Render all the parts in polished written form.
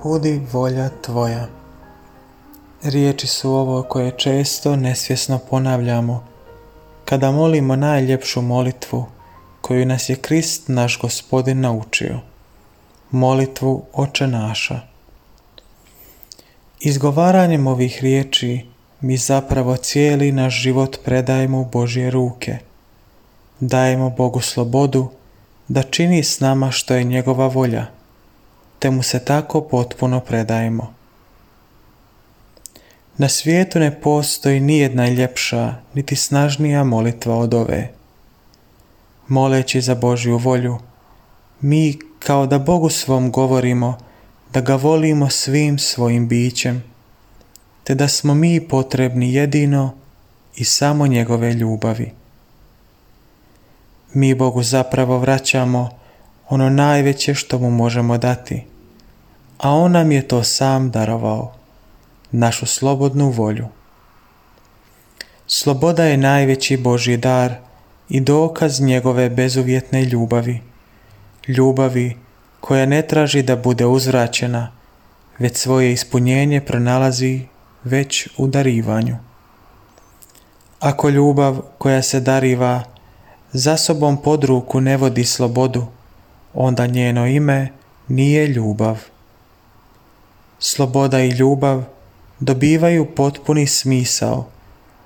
Budi volja tvoja. Riječi su ovo koje često nesvjesno ponavljamo kada molimo najljepšu molitvu koju nas je Krist naš Gospodin naučio. Molitvu Oče naša. Izgovaranjem ovih riječi mi zapravo cijeli naš život predajemo u Božje ruke. Dajemo Bogu slobodu da čini s nama što je njegova volja, te mu se tako potpuno predajemo. Na svijetu ne postoji nijedna ljepša niti snažnija molitva od ove. Moleći za Božju volju, mi kao da Bogu svom govorimo da ga volimo svim svojim bićem, te da smo mi potrebni jedino i samo njegove ljubavi. Mi Bogu zapravo vraćamo ono najveće što mu možemo dati, a on nam je to sam darovao, našu slobodnu volju. Sloboda je najveći Božji dar i dokaz njegove bezuvjetne ljubavi, ljubavi koja ne traži da bude uzvraćena, već svoje ispunjenje pronalazi već u darivanju. Ako ljubav koja se dariva za sobom pod ruku ne vodi slobodu, onda njeno ime nije ljubav. Sloboda i ljubav dobivaju potpuni smisao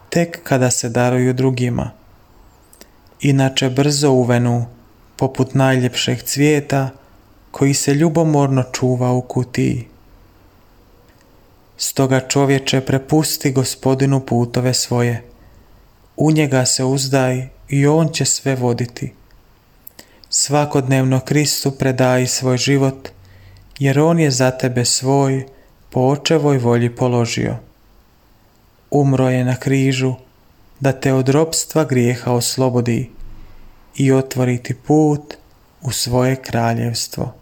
tek kada se daruju drugima. Inače brzo uvenu poput najljepšeg cvijeta koji se ljubomorno čuva u kutiji. Stoga čovječe, prepusti Gospodinu putove svoje, u njega se uzdaj i on će sve voditi. Svakodnevno Kristu predaj svoj život, jer on je za tebe svoj po očevoj volji položio. Umro je na križu da te od ropstva grijeha oslobodi i otvori ti put u svoje kraljevstvo.